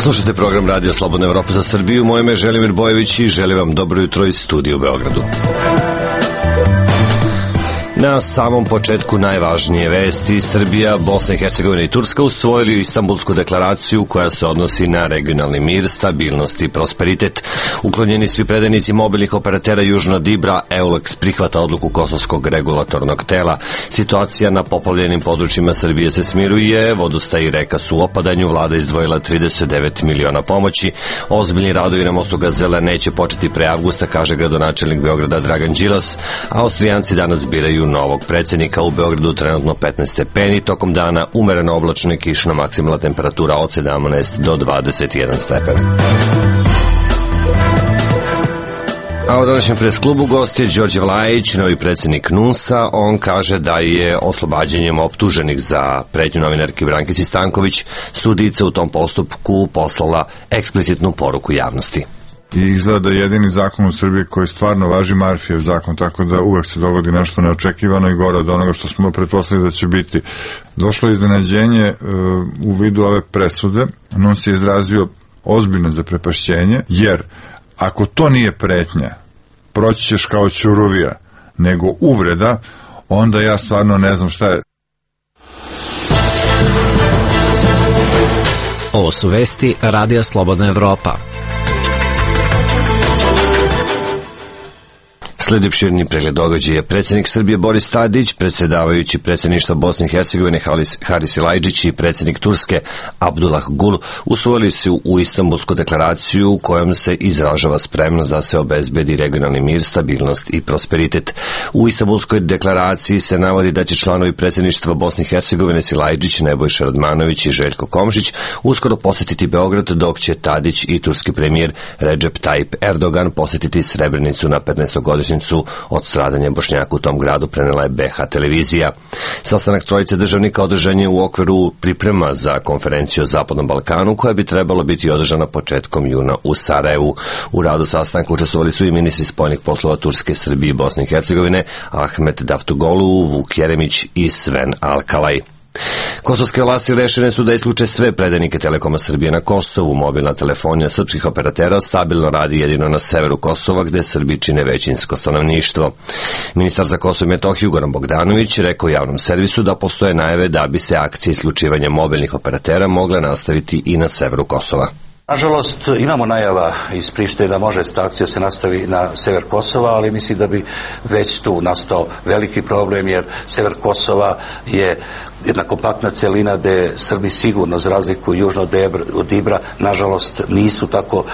Slušajte program Radio Slobodna Evropa za Srbiju. Moje ime je Želimir Bojević i želim vam dobro jutro iz studija u Beogradu. Na samom početku najvažnije vesti: Srbija, Bosna i Hercegovina i Turska usvojili Istanbulsku deklaraciju koja se odnosi na regionalni mir, stabilnost i prosperitet. Uklonjeni svi predajnici mobilnih operatera južno od Ibra, EULEX prihvata odluku Kosovskog regulatornog tela. Situacija na poplavljenim područjima Srbije se smiruje, vodostaji i reka su u opadanju, vlada izdvojila 39 miliona pomoći. Ozbiljni radovi na mostu Gazela neće početi pre avgusta, kaže gradonačelnik Beograda Dragan Đilas. Austrijanci danas biraju novog predsjednika. U Beogradu trenutno 15 stepeni, tokom dana umereno oblačno i kišno, maksimalna temperatura od 17 do 21 stepen. A u današnjem presklubu gost je Đorđe Vlajić, novi predsjednik NUNS-a. On kaže da je oslobađanjem optuženih za pretnju novinarki Brankici Stanković sudica u tom postupku poslala eksplicitnu poruku javnosti. I izgleda jedini zakon u Srbiji koji stvarno važi Marfijev zakon, tako da uvek se dogodi nešto neočekivano i gore od onoga što smo pretpostavili da će biti. Došlo je iznenađenje u vidu ove presude. NUNS je izrazio ozbiljno zaprepašćenje, jer ako to nije pretnja, proći ćeš kao ćuruvija, nego uvreda, onda ja stvarno ne znam šta je. Ovo su vesti Radija Slobodna Evropa. Sledi opširni pregled događaja. Predsjednik Srbije Boris Tadić, predsjedavajući predsjedništva Bosne i Hercegovine Haris Ilaiđić i predsjednik Turske Abdullah Gul usvojili su u Istanbulsku deklaraciju kojom se izražava spremnost da se obezbedi regionalni mir, stabilnost i prosperitet. U Istanbulskoj deklaraciji se navodi da će članovi predsjedništva Bosne i Hercegovine Ilaiđić, Nebojša Radmanović i Željko Komšić uskoro posjetiti Beograd, dok će Tadić i turski premijer Recep Tayyip Erdogan posjetiti Srebrenicu na 15-godišnjicu od stradanja Bošnjaka u tom gradu, prenela je BH televizija. Sastanak trojice državnika održan je u okviru priprema za konferenciju o Zapadnom Balkanu, koja bi trebalo biti održana početkom juna u Sarajevu. U radu sastanka učestvovali su i ministri spoljnih poslova Turske, Srbije i Bosne i Hercegovine Ahmet Davutoglu, Vuk Jeremić i Sven Alkalaj. Kosovske vlasti rešene su da isključe sve predajnike Telekoma Srbije na Kosovu. Mobilna telefonija srpskih operatera stabilno radi jedino na severu Kosova, gde Srbi čine većinsko stanovništvo. Ministar za Kosovo i Metohiju Goran Bogdanović rekao javnom servisu da postoje najave da bi se akcije isključivanja mobilnih operatera mogle nastaviti i na severu Kosova. Nažalost, imamo najava iz Prištine da može sta akcija se nastavi na sever Kosova, ali mislim da bi već tu nastao veliki problem, jer sever Kosova je jedna kompaktna celina gde Srbi sigurno, za razliku južno od Ibra, nažalost nisu tako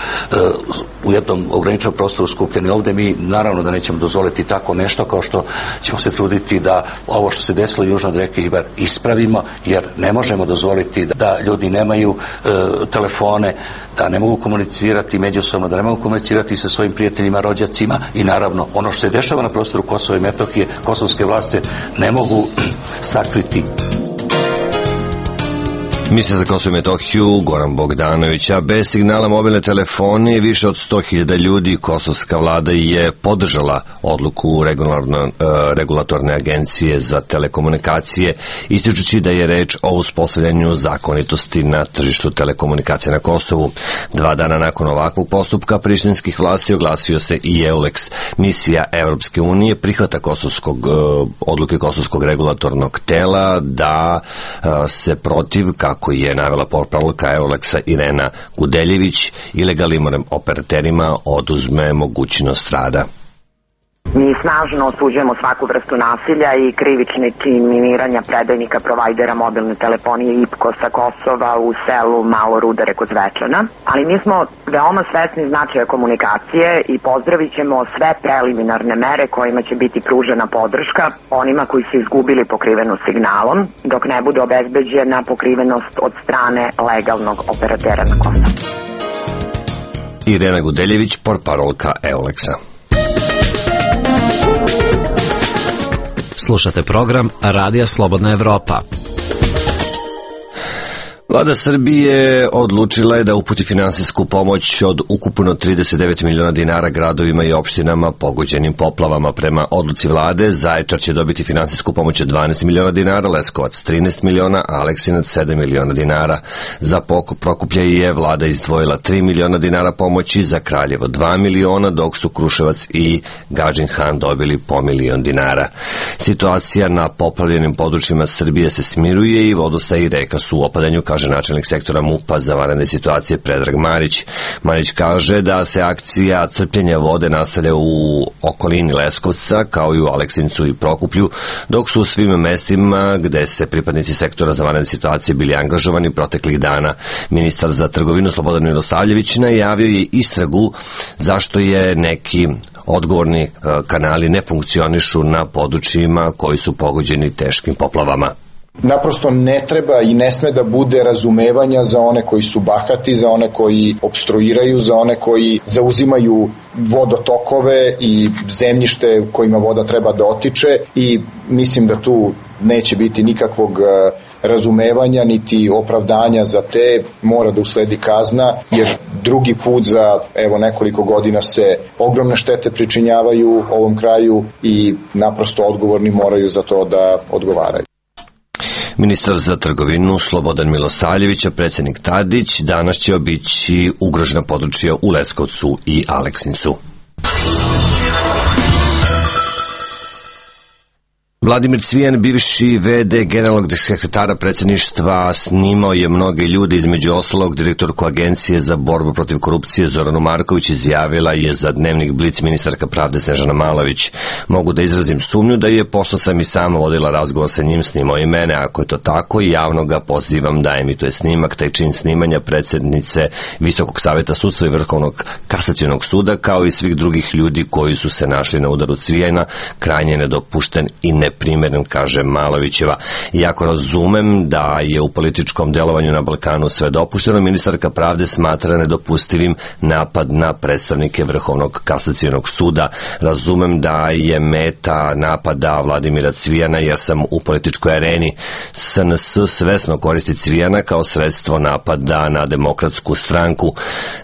u jednom ograničenom prostoru skupljeni. Ovde mi naravno da nećemo dozvoliti tako nešto, kao što ćemo se truditi da ovo što se desilo južno od reke Ibar ispravimo, jer ne možemo dozvoliti da ljudi nemaju telefone, da ne mogu komunicirati međusobno, da ne mogu komunicirati sa svojim prijateljima, rođacima, i naravno ono što se dešava na prostoru Kosova i Metohije, kosovske vlasti ne mogu sakriti. Ministar za Kosovo i Metohiju Goran Bogdanović. A bez signala mobilne telefonije više od 100.000 ljudi kosovska vlada je podržala odluku regulatorne agencije za telekomunikacije, ističući da je reč o uspostavljanju zakonitosti na tržištu telekomunikacije na Kosovu. 2 dana nakon ovakvog postupka prištinskih vlasti oglasio se i EULEX. Misija Evropske unije prihvata odluke Kosovskog regulatornog tela da se protiv, kako je navela portparolka EULEX-a Irena Gudeljević, ilegalnim operaterima oduzme mogućnost rada. Mi snažno osuđujemo svaku vrstu nasilja i krivični čin miniranja predajnika provajdera mobilne telefonije IPKO sa Kosova u selu Malo Rudare kod Zvečana, ali mi smo veoma svesni značaja komunikacije i pozdravit ćemo sve preliminarne mere kojima će biti pružena podrška onima koji su izgubili pokrivenost signalom, dok ne bude obezbeđena pokrivenost od strane legalnog operatera na Kosovu. Irena Gudeljević, portparolka EULEX-a. Slušate program Radija Slobodna Evropa. Vlada Srbije odlučila je da uputi finansijsku pomoć od ukupno 39 miliona dinara gradovima i opštinama pogođenim poplavama. Prema odluci vlade, Zaječar će dobiti finansijsku pomoć od 12 miliona dinara, Leskovac 13 miliona, a Aleksinac 7 miliona dinara. Za Prokuplje je vlada izdvojila 3 miliona dinara pomoći, za Kraljevo 2 miliona, dok su Kruševac i Gadžin Han dobili po milion dinara. Situacija na poplavljenim područjima Srbije se smiruje i vodostaj i reka su u opadanju, kaže načelnik sektora MUP-a za vanredne situacije Predrag Marić. Marić kaže da se akcija crpljenja vode nastavlja u okolini Leskovca, kao i u Aleksincu i Prokuplju, dok su u svim mestima gde se pripadnici sektora za vanredne situacije bili angažovani proteklih dana. Ministar za trgovinu Slobodan Milosavljević najavio je istragu zašto je neki odgovorni kanali ne funkcionišu na područjima koji su pogođeni teškim poplavama. Naprosto ne treba i ne sme da bude razumevanja za one koji su bahati, za one koji opstruiraju, za one koji zauzimaju vodotokove i zemljište kojima voda treba da otiče, i mislim da tu neće biti nikakvog razumevanja niti opravdanja za te. Mora da usledi kazna, jer drugi put za nekoliko godina se ogromne štete pričinjavaju ovom kraju i naprosto odgovorni moraju za to da odgovaraju. Ministar za trgovinu Slobodan Milosavljević, a predsednik Tadić danas će obići ugrožena područja u Leskovcu i Aleksincu. Vladimir Cvijan, bivši v.d. generalnog sekretara predsjedništva, snimao je mnoge ljude, između ostalog direktorku Agencije za borbu protiv korupcije Zoranu Marković, izjavila je za Dnevnik Blic ministarka pravde Snežana Malović. Mogu da izrazim sumnju da je, pošto sam i sama vodila razgovor sa njim, snimao i mene. Ako je to tako, javno ga pozivam da emituje snimak. Taj čin snimanja predsjednice Visokog saveta sudstva i Vrhovnog kasacionog suda, kao i svih drugih ljudi koji su se našli na udaru Cvijana, krajnje nedopušten i neprimeren, kaže Malovićeva. Iako razumem da je u političkom delovanju na Balkanu sve dopušteno, ministarka pravde smatra nedopustivim napad na predstavnike Vrhovnog kasacionog suda. Razumem da je meta napada Vladimira Cvijana, jer sam u političkoj areni. SNS svesno koristi Cvijana kao sredstvo napada na Demokratsku stranku.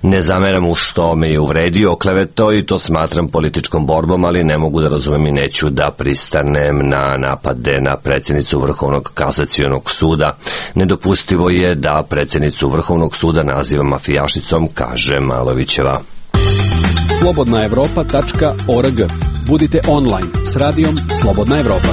Ne zameram mu što me je uvredio, oklevetao, i to smatram političkom borbom, ali ne mogu da razumem i neću da pristanem na napade na predsjednicu Vrhovnog kasacionog suda. Nedopustivo je da predsjednicu Vrhovnog suda naziva mafijašicom, kaže Malovićeva. slobodnaevropa.org. Budite online s radijom Slobodna Evropa.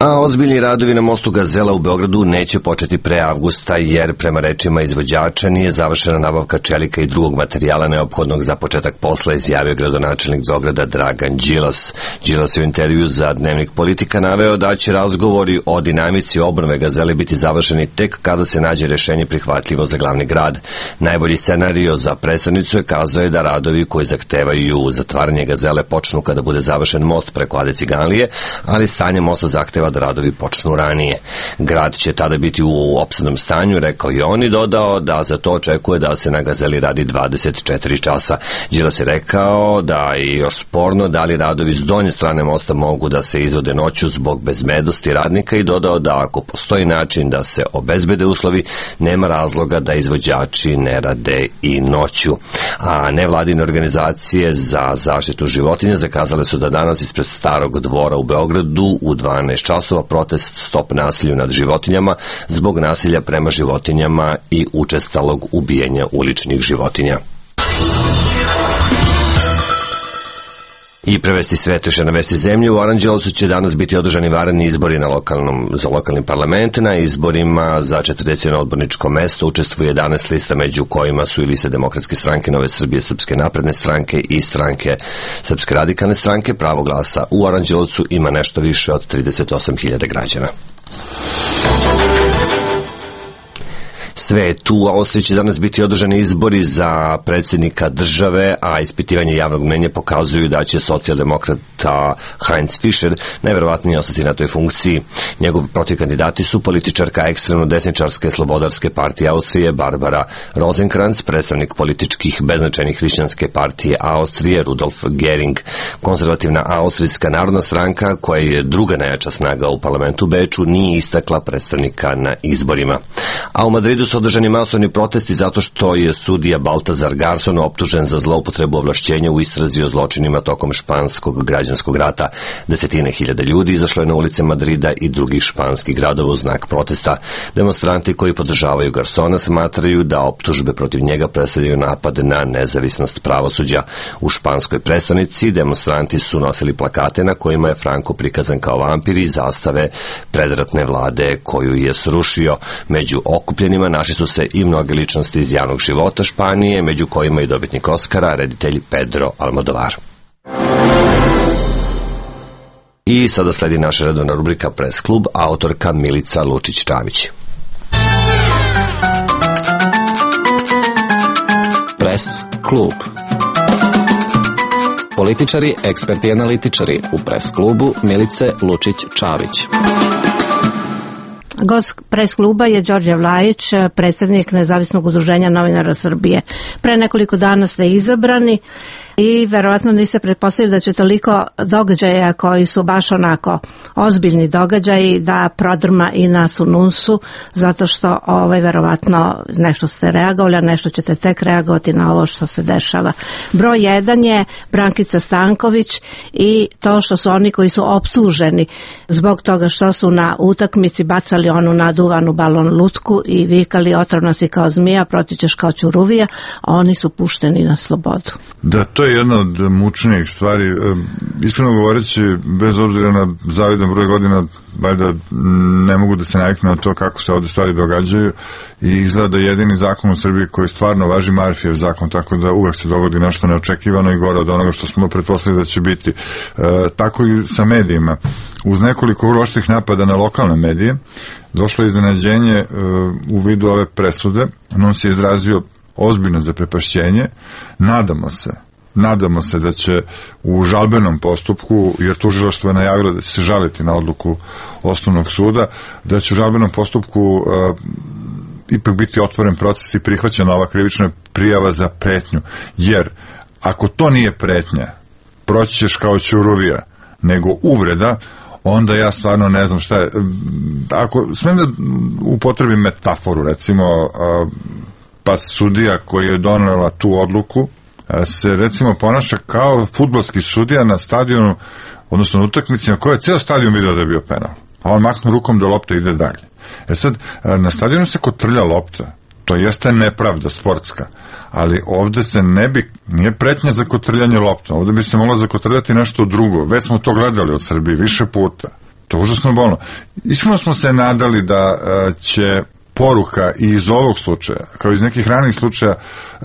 A ozbiljni radovi na mostu Gazela u Beogradu neće početi pre avgusta, jer prema rečima izvođača nije završena nabavka čelika i drugog materijala neophodnog za početak posla, izjavio gradonačelnik Beograda Dragan Đilas. Đilas je u intervju za Dnevnik Politika naveo da će razgovori o dinamici obnove Gazele biti završeni tek kada se nađe rešenje prihvatljivo za glavni grad. Najbolji scenario za prestonicu je, kazao je, da radovi koji zahtevaju zatvaranje Gazele počnu kada bude završen most preko Ade Ciganlije, ali stanje mosta zahteva da radovi počnu ranije. Grad će tada biti u opsadnom stanju, rekao je on, i dodao da za to očekuje da se na Gazeli radi 24 časa. Đilas je rekao da je još sporno da li radovi s donje strane mosta mogu da se izvode noću zbog bezbednosti radnika, i dodao da ako postoji način da se obezbede uslovi, nema razloga da izvođači ne rade i noću. A nevladine organizacije za zaštitu životinja zakazale su da danas ispred Starog dvora u Beogradu u 12 časova protest Stop nasilju nad životinjama zbog nasilja prema životinjama i učestalog ubijanja uličnih životinja. I prevesti svetoše na vesti zemlje. U Aranđelovcu će danas biti održani vanredni izbori za lokalni parlament. Na izborima za 41 odborničko mesto učestvuje 11 lista, među kojima su i liste Demokratske stranke, Nove Srbije, Srpske napredne stranke i stranke Srpske radikalne stranke. Pravo glasa u Aranđelovcu ima nešto više od 38.000 građana. svetu. U Austriji će danas biti održani izbori za predsjednika države, a ispitivanje javnog mnenja pokazuju da će socijaldemokrata Heinz Fischer najverovatnije ostati na toj funkciji. Njegov protivkandidati su političarka ekstremno desničarske slobodarske partije Austrije Barbara Rosenkranz, predstavnik političkih beznačajnih hrišćanske partije Austrije Rudolf Gering. Konzervativna Austrijska narodna stranka, koja je druga najjača snaga u parlamentu Beču, nije istakla predstavnika na izborima. A u Madridu su održani masovni protesti zato što je sudija Baltazar Garson optužen za zloupotrebu ovlašćenja u istrazi o zločinima tokom španskog građanskog rata. Desetine hiljada ljudi izašlo je na ulice Madrida i drugih španskih gradova u znak protesta. Demonstranti koji podržavaju Garsona smatraju da optužbe protiv njega predstavljaju napad na nezavisnost pravosuđa. U španskoj prestonici demonstranti su nosili plakate na kojima je Franco prikazan kao vampir i zastave predratne vlade koju je srušio. Među okupljenima našli su se i mnoge ličnosti iz javnog života Španije, među kojima i dobitnik Oskara, reditelj Pedro Almodovar. I sada sledi naša redovna rubrika Press klub, autorka Milica Lučić-Čavić. Press klub. Političari, eksperti i analitičari u Press klubu Milice Lučić-Čavić. Gost Press kluba je Đorđe Vlajić, predsjednik Nezavisnog udruženja novinara Srbije. Pre nekoliko dana ste izabrani i verovatno niste pretpostavili da će toliko događaja koji su baš onako ozbiljni događaji da prodrma i nas u NUNS-u, zato što verovatno nešto ste reagovali, a nešto ćete tek reagovati na ovo što se dešava. Broj 1 je Brankica Stanković i to što su oni koji su optuženi zbog toga što su na utakmici bacali onu naduvanu balon lutku i vikali otrovna si kao zmija, protićeš kao ćuruvija, a oni su pušteni na slobodu. Da, to je jedna od mučnijih stvari. Iskreno govoreći, bez obzira na zavidan broj godina, valjda ne mogu da se naviknu na to kako se ovde stvari događaju i izgleda da jedini zakon u Srbiji koji stvarno važi Marfijev zakon, tako da uvek se dogodi nešto neočekivano i gore od onoga što smo pretpostavili da će biti. Tako i sa medijima. Uz nekoliko oštrih napada na lokalne medije došlo je iznenađenje u vidu ove presude. On se izrazio ozbiljno zaprepašćenje. Nadamo se da će u žalbenom postupku, jer tužilaštvo je najavilo da će se žaliti na odluku osnovnog suda, da će u žalbenom postupku ipak biti otvoren proces i prihvaćena ova krivična prijava za pretnju. Jer ako to nije pretnja, proći ćeš kao ćuruvija, nego uvreda, onda ja stvarno ne znam šta je. Ako smijem da upotrebim metaforu, recimo, pa sudija koji je donela tu odluku se recimo ponaša kao fudbalski sudija na stadionu, odnosno na utakmici na kojoj je ceo stadion video da je bio penal, a on mahnu rukom da lopta ide dalje. Sad, na stadionu se kotrlja lopta, to jeste nepravda sportska, ali ovde se nije pretnja za kotrljanje lopta, ovde bi se moglo zakotrljati nešto drugo. Već smo to gledali u Srbiji više puta, to je užasno bolno. Iskreno smo se nadali da će poruka i iz ovog slučaja, kao iz nekih ranih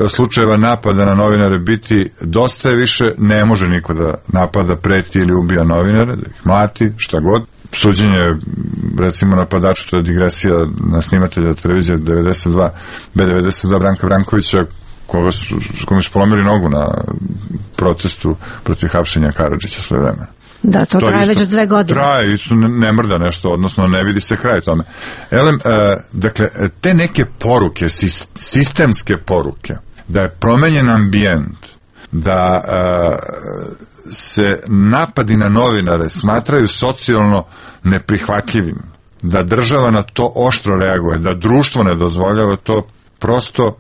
slučajeva napada na novinare biti dosta više, ne može niko da napada, preti ili ubija novinare, da ih mlati, šta god. Suđenje, recimo, napadaču, to je digresija na snimatelja televizije B92 Branka Brankovića, kome su polomili nogu na protestu protiv hapšenja Karadžića svoje vremena. Da, to traje već 2 godine. Traje, isto ne mrda nešto, odnosno ne vidi se kraj tome. Dakle, te neke poruke, sistemske poruke, da je promenjen ambijent, da se napadi na novinare smatraju socijalno neprihvatljivim, da država na to oštro reaguje, da društvo ne dozvoljava to, prosto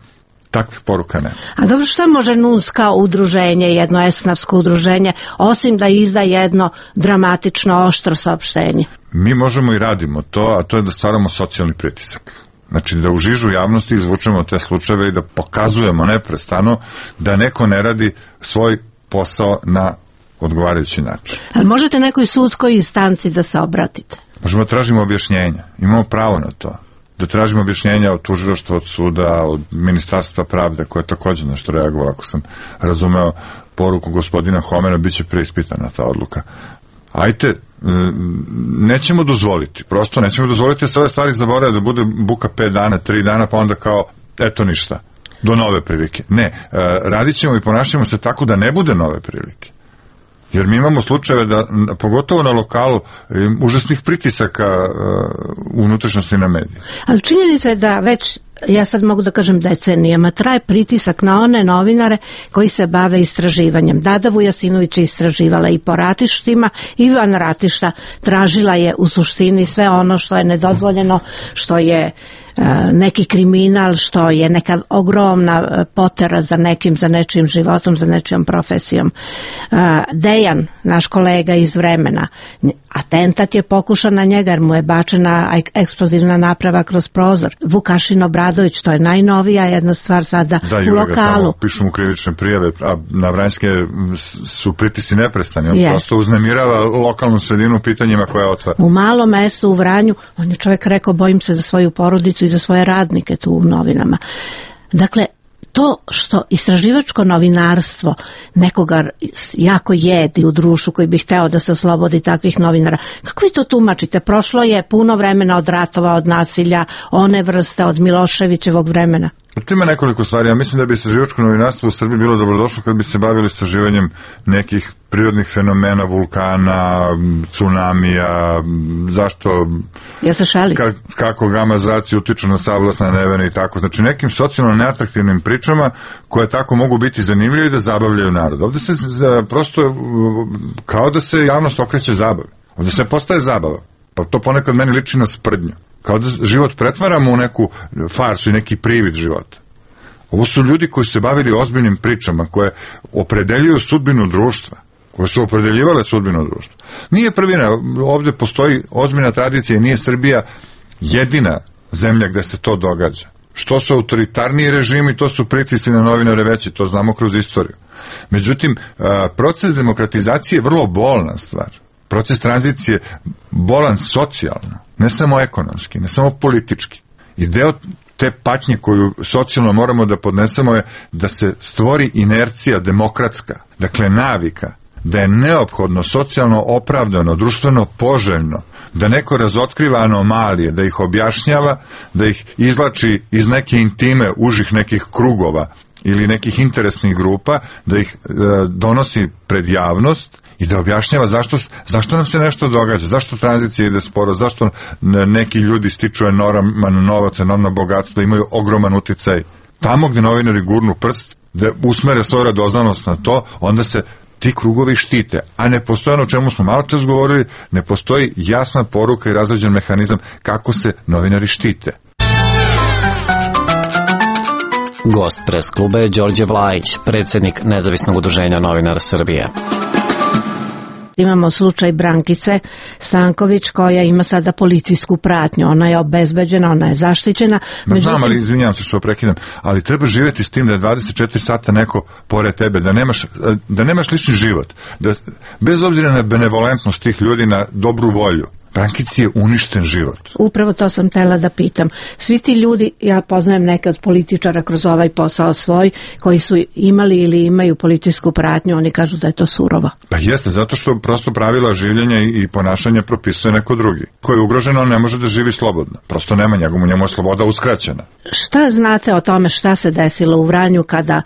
takvih poruka ne. A dobro, šta može NUNS kao udruženje, jedno esnafsko udruženje, osim da izda jedno dramatično, oštro saopštenje? Mi možemo i radimo to, a to je da stvaramo socijalni pritisak. Znači da u žižu javnosti izvučemo te slučajeve i da pokazujemo neprestano da neko ne radi svoj posao na odgovarajući način. Ali možete nekoj sudskoj instanci da se obratite? Možemo da tražimo objašnjenja. Imamo pravo na to. Da tražimo objašnjenja od tužilaštva, od suda, od Ministarstva pravde, koje je također nešto reagovalo, ako sam razumeo poruku gospodina Homera, bit će preispitana ta odluka. Ajte, nećemo dozvoliti, prosto nećemo dozvoliti da se ove stvari zaborave, da bude buka 5 dana, 3 dana, pa onda kao, eto ništa, do nove prilike. Ne, radit ćemo i ponašamo se tako da ne bude nove prilike. Jer mi imamo slučajeve da, pogotovo na lokalu, užasnih pritisaka unutrašnjosti na medije. Ali činjenica je da već, ja sad mogu da kažem decenijama, traje pritisak na one novinare koji se bave istraživanjem. Dada Vujasinović je istraživala i po ratištima, Ivan Ratišta tražila je u suštini sve ono što je nedozvoljeno, što je neki kriminal, što je neka ogromna potera za nekim, za nečijim životom, za nečijom profesijom. Dejan, naš kolega iz Vremena, atentat je pokušan na njega jer mu je bačena eksplozivna naprava kroz prozor. Vukašin Obradović, to je najnovija jedna stvar sada u lokalu. Pišu mu krivične prijave, a na Vranjske su pritisci neprestani. On prosto uznemirava lokalnu sredinu pitanjima koja otvara. U malom mestu u Vranju, on je čovjek rekao, bojim se za svoju porodicu i za svoje radnike tu u novinama. Dakle, to što istraživačko novinarstvo nekoga jako jedi u društvu koji bi hteo da se oslobodi takvih novinara, kako vi to tumačite? Prošlo je puno vremena od ratova, od nasilja, one vrste, od Miloševićevog vremena. Tu ima nekoliko stvari. Ja mislim da bi istraživačko novinarstvo u Srbiji bilo dobrodošlo kad bi se bavili istraživanjem nekih prirodnih fenomena, vulkana, tsunamija, zašto, kako gama zraci utiču na savlasna nevene i tako. Znači nekim socijalno neatraktivnim pričama koje tako mogu biti zanimljive i da zabavljaju narod. Ovde se prosto kao da se javnost okreće zabavi. Ovde se postaje zabava. Pa to ponekad meni liči na sprdnju. Kao da život pretvaramo u neku farsu i neki privid života. Ovo su ljudi koji su se bavili ozbiljnim pričama, koje opredeljuju sudbinu društva, koje su opredeljivale sudbinu društva. Nije prvina, ovde postoji ozbiljna tradicija i nije Srbija jedina zemlja gde se to događa. Što su autoritarniji režimi, to su pritisci na novinare veći, to znamo kroz istoriju. Međutim, proces demokratizacije je vrlo bolna stvar. Proces tranzicije bolan socijalno, ne samo ekonomski, ne samo politički. I deo te patnje koju socijalno moramo da podnesemo je da se stvori inercija demokratska, dakle navika, da je neophodno socijalno opravdano, društveno poželjno, da neko razotkriva anomalije, da ih objašnjava, da ih izvlači iz neke intime užih nekih krugova ili nekih interesnih grupa, da ih donosi pred javnost i da objašnjava zašto nam se nešto događa, zašto tranzicija ide sporo, zašto neki ljudi stiču enorman novac, enormno bogatstvo, imaju ogroman uticaj. Tamo gde novinari gurnu prst, da usmere svoju radoznalost na to, onda se ti krugovi štite, a ne postoji ono o čemu smo malo čas govorili, ne postoji jasna poruka i razrađen mehanizam kako se novinari štite. Gost pres kluba je Đorđe Vlajić, predsjednik Nezavisnog udruženja novinara Srbije. Imamo slučaj Brankice Stanković koja ima sada policijsku pratnju. Ona je obezbeđena, ona je zaštićena. Znam, ali izvinjavam se što prekidam, ali treba živjeti s tim da je 24 sata neko pored tebe, da nemaš lični život. Bez obzira na benevolentnost tih ljudi, na dobru volju, Brankici je uništen život. Upravo to sam htela da pitam. Svi ti ljudi, ja poznajem neke od političara kroz ovaj posao svoj, koji su imali ili imaju policijsku pratnju, oni kažu da je to surovo. Pa jeste, zato što prosto pravila življenja i ponašanja propisuje neko drugi. Ko je ugrožen, on ne može da živi slobodno. Prosto nema njemu je sloboda uskraćena. Šta znate o tome šta se desilo u Vranju kada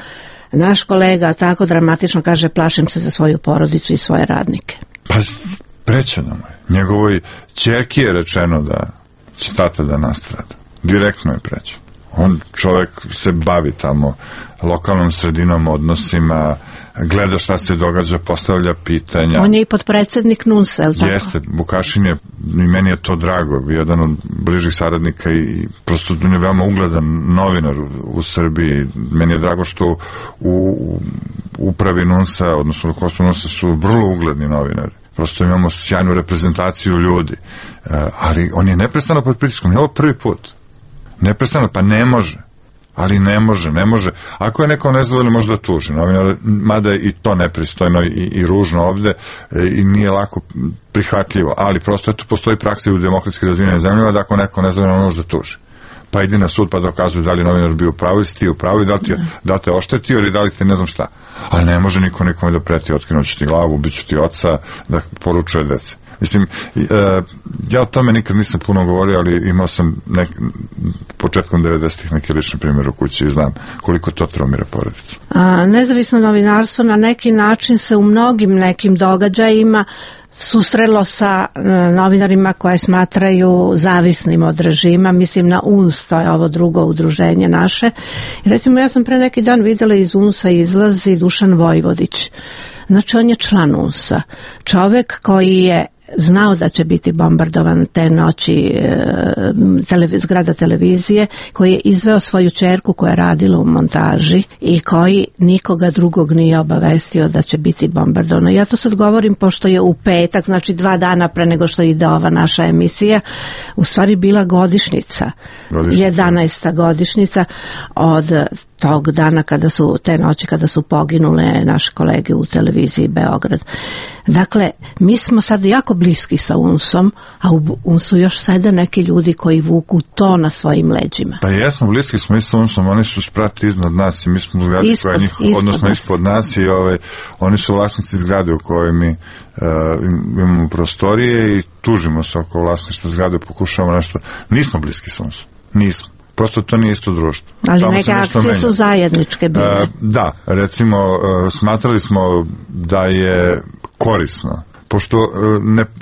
naš kolega tako dramatično kaže plašim se za svoju porodicu i svoje radnike? Pa prećeno mu je. Njegovoj ćerki je rečeno da će tata da nastrada. Direktno je prećeno. On čovjek se bavi tamo lokalnom sredinom, odnosima, gleda šta se događa, postavlja pitanja. On je i potpredsjednik NUNS-a, je li tako? Jeste, Vukašin je, i meni je to drago, jedan od bližih saradnika i prosto on je veoma ugledan novinar u Srbiji. Meni je drago što u upravi NUNS-a, odnosno rukovodstvu NUNS-a su vrlo ugledni novinari. Prosto imamo sjajnu reprezentaciju ljudi, ali on je neprestano pod pritiskom, je ovo prvi put. Neprestano, pa ne može, ali ne može. Ako je neko nezadovoljno, može da tuži, mada je i to nepristojno i ružno ovde i nije lako prihvatljivo, ali prosto eto postoji praksa u demokratski razvijenim zemljama da ako neko nezadovoljno može da tuži. Pa idi na sud pa dokazuju da li novinar bio u pravu ili si ti u pravu i da te oštetio ili da li te ne znam šta. Ali ne može niko nikome da preti, otkinuću ti glavu, ubiću ti oca, da poručuje dece. Mislim, ja o tome nikad nisam puno govorio, ali imao sam početkom 90-ih neki lični primjer u kući i znam koliko to traumira porodicu. Nezavisno novinarstvo na neki način se u mnogim nekim događajima susrelo sa novinarima koje smatraju zavisnim od režima, mislim na UNS, to je ovo drugo udruženje naše. I recimo ja sam pre neki dan videla iz UNS-a izlazi Dušan Vojvodić. Znači on je član UNS-a. Čovek koji je znao da će biti bombardovan te noći zgrada televizije, koji je izveo svoju ćerku koja je radila u montaži i koji nikoga drugog nije obavestio da će biti bombardovano. Ja to sad govorim pošto je u petak, znači 2 dana pre nego što ide ova naša emisija, u stvari bila godišnjica. 11. godišnjica od tog dana te noći kada su poginule naše kolege u televiziji Beograd. Dakle, mi smo sad jako bliski sa UNS-om, a u UNS-u još sede neki ljudi koji vuku to na svojim leđima. Pa jesmo, bliski smo i sa UNS-om, oni su sprati iznad nas i mi smo ispod nas i oni su vlasnici zgrade u kojoj mi imamo prostorije i tužimo se oko vlasništva zgrade, pokušavamo nešto. Nismo bliski sa UNS-om, nismo. Prosto to nije isto društvo. Ali neke akcije su zajedničke bile. Da, recimo, smatrali smo da je korisno, pošto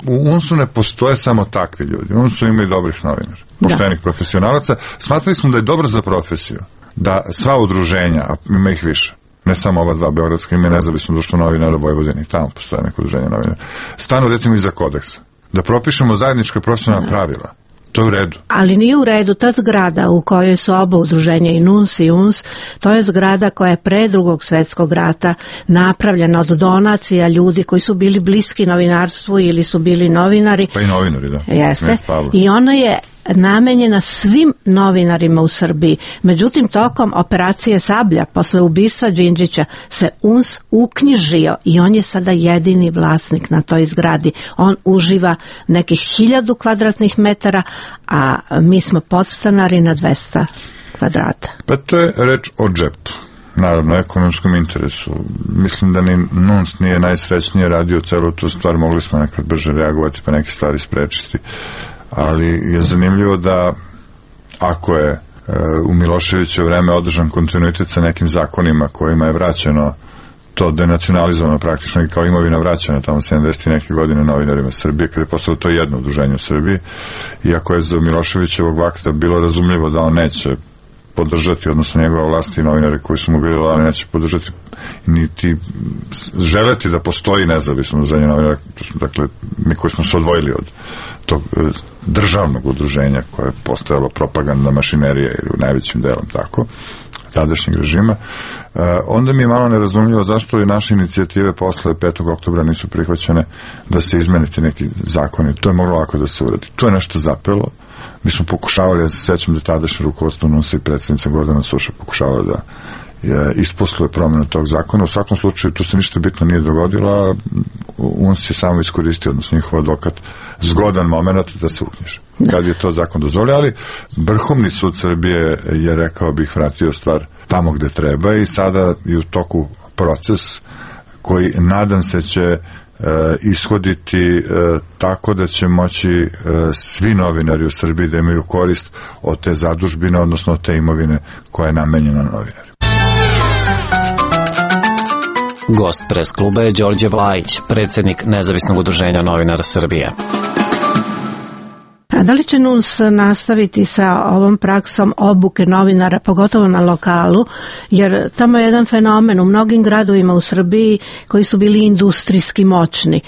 u UNS-u ne postoje samo takvi ljudi. U UNS-u ima i dobrih novinara, poštenih profesionalaca. Smatrali smo da je dobro za profesiju, da sva udruženja, a ima ih više, ne samo ova 2 beogradska, ima nezavisno društvo novinara Vojvodine, tamo postoje neko udruženje novinara, stanu recimo iza kodeksa, da propišemo zajednička profesionalna pravila. To je u redu. Ali nije u redu, ta zgrada u kojoj su oba udruženja i NUNS i UNS, to je zgrada koja je pre Drugog svjetskog rata napravljena od donacija ljudi koji su bili bliski novinarstvu ili su bili novinari. Pa i novinari, da. Jeste. I ona je namenjena svim novinarima u Srbiji. Međutim, tokom operacije Sablja, posle ubistva Đinđića, se UNS uknjižio i on je sada jedini vlasnik na toj zgradi. On uživa nekih 1000 kvadratnih metara, a mi smo podstanari na 200 kvadrata. Pa to je reč o džepu. Naravno, ekonomskom interesu. Mislim da ni NUNS nije najsrećnije radio celu tu stvar, mogli smo nekad brže reagovati pa neke stvari sprečiti. Ali je zanimljivo da ako je u Miloševićevo vreme održan kontinuitet sa nekim zakonima kojima je vraćeno to denacionalizovano praktično i kao imovina vraćena tamo 70 i neke godine novinarima Srbije, kada je postalo to jedno udruženje u Srbiji, iako je za Miloševićevog vakta bilo razumljivo da on neće podržati, odnosno njegova vlast i novinari koji su mu bili da neće podržati niti želeti da postoji nezavisno udruženje novinara, dakle mi koji smo se odvojili od tog državnog udruženja koje je postojalo propagandna mašinerija ili u najvećim delom tako, tadašnjeg režima, onda mi je malo nerazumljivo zašto i naše inicijative posle 5. oktobra nisu prihvaćene da se izmeniti neki zakoni. To je moglo lako da se uradi. To je nešto zapelo. Mi smo pokušavali, ja se sećam da tadašnje rukovodstvo NUNS-a i predsjednica Gordana Suša pokušavala da isposluje promjenu tog zakona. U svakom slučaju tu se ništa bitno nije dogodilo, a UNS je samo iskoristio, odnosno njihov advokat, zgodan moment da se uknjiži. Kad je to zakon dozvolio, ali Vrhovni sud Srbije je, rekao bih, vratio stvar tamo gde treba i sada je u toku proces koji nadam se će ishoditi tako da će moći svi novinari u Srbiji da imaju korist od te zadužbine, odnosno od te imovine koja je namenjena novinari. Gost pres kluba je Đorđe Vlajić, predsjednik Nezavisnog udruženja novinara Srbije. A da li će NUNS nastaviti sa ovom praksom obuke novinara, pogotovo na lokalu, jer tamo je jedan fenomen u mnogim gradovima u Srbiji koji su bili industrijski moćni.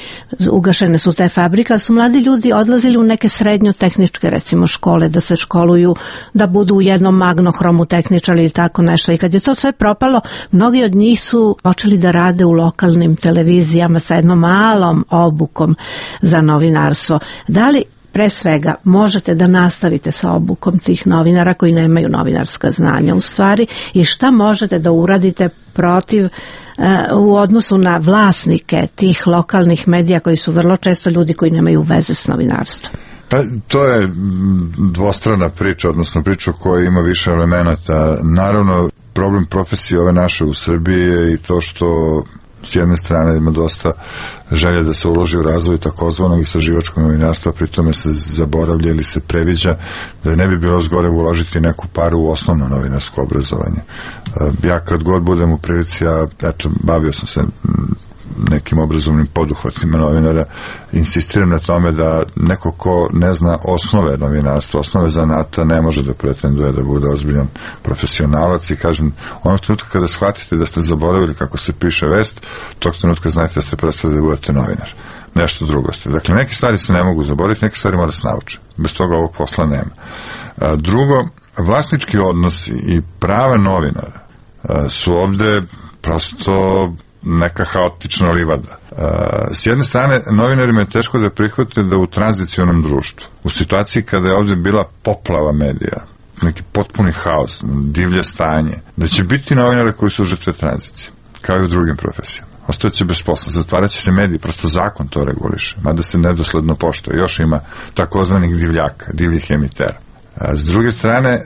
Ugašene su te fabrike, ali su mladi ljudi odlazili u neke srednjo-tehničke, recimo, škole, da se školuju, da budu u jednom magnohromu tehničari ili tako nešto. I kad je to sve propalo, mnogi od njih su počeli da rade u lokalnim televizijama sa jednom malom obukom za novinarstvo. Da li pre svega možete da nastavite sa obukom tih novinara koji nemaju novinarska znanja u stvari i šta možete da uradite protiv u odnosu na vlasnike tih lokalnih medija koji su vrlo često ljudi koji nemaju veze s novinarstvom? Pa, to je dvostrana priča, odnosno priča koja ima više elemenata. Naravno, problem profesije ove naše u Srbiji je i to što s jedne strane ima dosta želje da se uloži u razvoj takozvanog istraživačkog novinarstva, pritome se zaboravlja ili se previđa da ne bi bilo zgore uložiti neku paru u osnovno novinarsko obrazovanje. Ja kad god budem u prilici, bavio sam se nekim obrazovnim poduhvatima novinara, insistiram na tome da neko ko ne zna osnove novinarstva, osnove zanata, ne može da pretenduje da bude ozbiljan profesionalac i kažem, onog trenutka kada shvatite da ste zaboravili kako se piše vest, tog trenutka znajte da ste prestali da budete novinar. Nešto drugo ste. Dakle, neke stvari se ne mogu zaboraviti, neke stvari mora se naučiti. Bez toga ovog posla nema. Drugo, vlasnički odnosi i prava novinara su ovde prosto neka haotična livada. S jedne strane, novinarima je teško da prihvate da u tranzicionom društvu, u situaciji kada je ovde bila poplava medija, neki potpuni haos, divlje stanje, da će biti novinare koji su žrtve tranzicije, kao i u drugim profesijama. Ostaće bez posla, zatvaraće se mediji, prosto zakon to reguliše, mada se nedosledno poštuje. Još ima takozvanih divljaka, divljih emitera. S druge strane,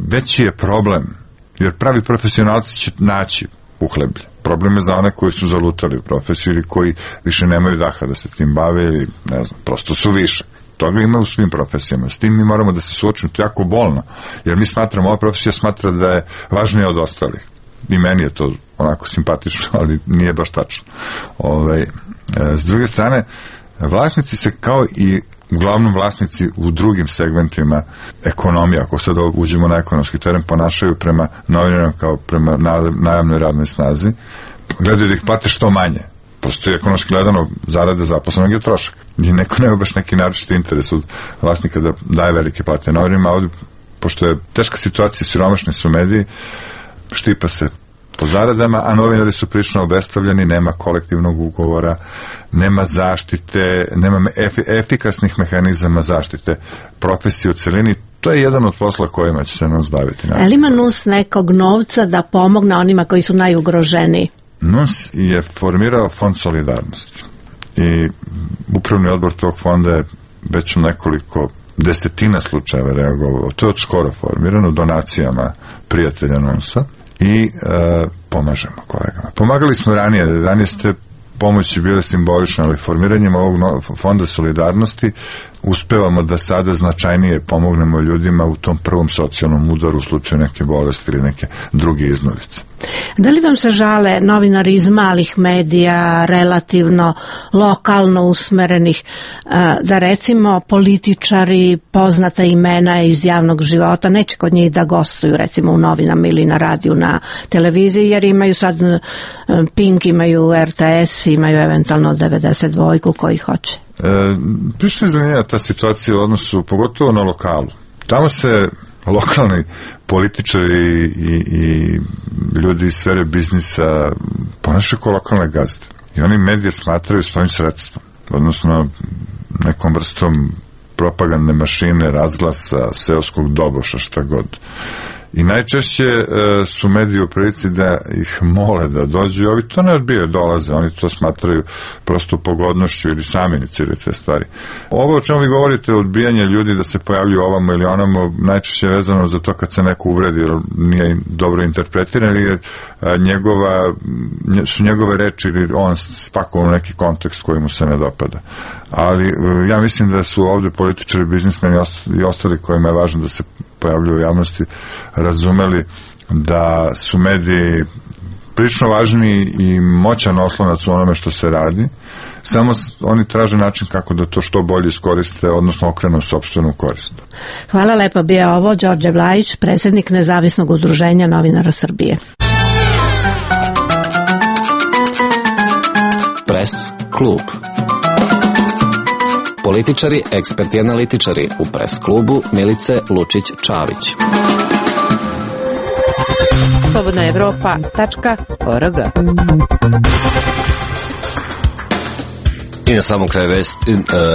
veći je problem, jer pravi profesionalci će naći uhleblje. Problem je za one koji su zalutali u profesiju ili koji više nemaju daha da se tim bave ili, ne znam, prosto su višak. Toga ima u svim profesijama. S tim mi moramo da se suočimo, to je jako bolno, jer mi smatramo, ova profesija smatra da je važnija od ostalih. I meni je to onako simpatično, ali nije baš tačno. S druge strane, vlasnici se kao i uglavnom vlasnici u drugim segmentima ekonomije, ako sad uđemo na ekonomski teren, ponašaju prema novinarima kao prema najamnoj radnoj snazi, gledaju da ih plate što manje. Prosto je ekonomski gledano zarade zaposlenog je trošak. I neko nema baš neki naročiti interes od vlasnika da daje velike plate novinarima, a ovdje, pošto je teška situacija, siromašni su mediji, štipa se po zaradama, a novinari su prilično obespravljeni, nema kolektivnog ugovora, nema zaštite, nema efikasnih mehanizama zaštite profesije u celini. To je jedan od posla kojima će se NUNS baviti. Ali ima NUNS nekog novca da pomogne onima koji su najugroženiji? NUNS je formirao fond solidarnosti i upravni odbor tog fonda je već u nekoliko desetina slučajeva reagovao. To je od skoro formirano donacijama prijatelja NUNS-a i pomažemo kolegama. Pomagali smo ranije ste pomoći bile simbolične, ali formiranjem ovog fonda solidarnosti uspevamo da sada značajnije pomognemo ljudima u tom prvom socijalnom udaru u slučaju neke bolesti ili neke druge iznudice. Da li vam se žale novinari iz malih medija, relativno lokalno usmerenih, da recimo političari, poznata imena iz javnog života, neće kod njih da gostuju recimo u novinama ili na radiju, na televiziji, jer imaju sad Pink, imaju RTS, imaju eventualno 92 koji hoće? Prišlo je zanimljiva ta situacija u odnosu, pogotovo na lokalu. Tamo se lokalni političari i ljudi iz sfere biznisa ponašaju kao lokalne gazde. I oni medije smatraju svojim sredstvom, odnosno nekom vrstom propagandne mašine, razglasa, seoskog doboša, šta god. I najčešće su mediji u prilici da ih mole da dođu i ovi to ne odbijaju, dolaze, oni to smatraju prosto pogodnošću ili sami iniciraju te stvari. Ovo o čemu vi govorite, odbijanje ljudi da se pojavljuju ovamo ili onamo, najčešće je vezano za to kad se neko uvredi, jer nije dobro interpretiran ili su njegove reči ili on spakovao neki kontekst koji mu se ne dopada. Ali ja mislim da su ovde političari, biznismeni i ostali kojima je važno da se pojavljuju u javnosti razumeli da su mediji prilično važni i moćan oslonac u onome što se radi, samo oni traže način kako da to što bolje iskoriste, odnosno okrenu sopstvenu korist. Hvala lepo, bio ovo Đorđe Vlajić, predsjednik Nezavisnog udruženja novinara Srbije. Pres klub. Političari, eksperti, analitičari u Pres klubu Milice Lučić-Čavić. slobodnaevropa.org I na samom kraju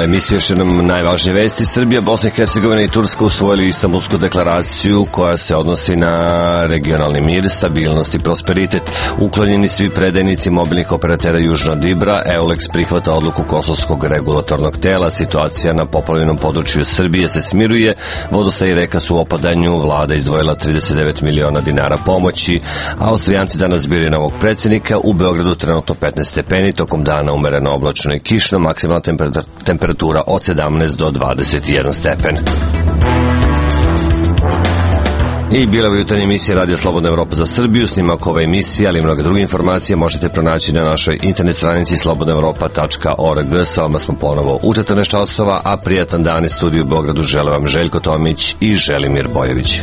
emisije još jednom najvažnije vesti. Srbija, Bosna i Hercegovina i Turska usvojili Istanbulsku deklaraciju koja se odnosi na regionalni mir, stabilnost i prosperitet. Uklonjeni svi predajnici mobilnih operatera južno od Ibra. EULEX prihvata odluku Kosovskog regulatornog tela. Situacija na poplavljenom području Srbije se smiruje. Vodostaj i reka su u opadanju. Vlada izdvojila 39 miliona dinara pomoći. Austrijanci danas biraju novog predsjednika. U Beogradu trenutno 15 stepeni, tokom dana umereno oblačno i kišno, maksimalna temperatura od 17 do 21 stepen. I bila je jutarnja emisija Radio Slobodna Evropa za Srbiju. Snimak ove emisije, ali i mnoge druge informacije možete pronaći na našoj internet stranici slobodnaevropa.org. Sa vama smo ponovo u 14 časova, a prijatan dan iz studiju u Beogradu žele vam Željko Tomić i Želimir Bojović.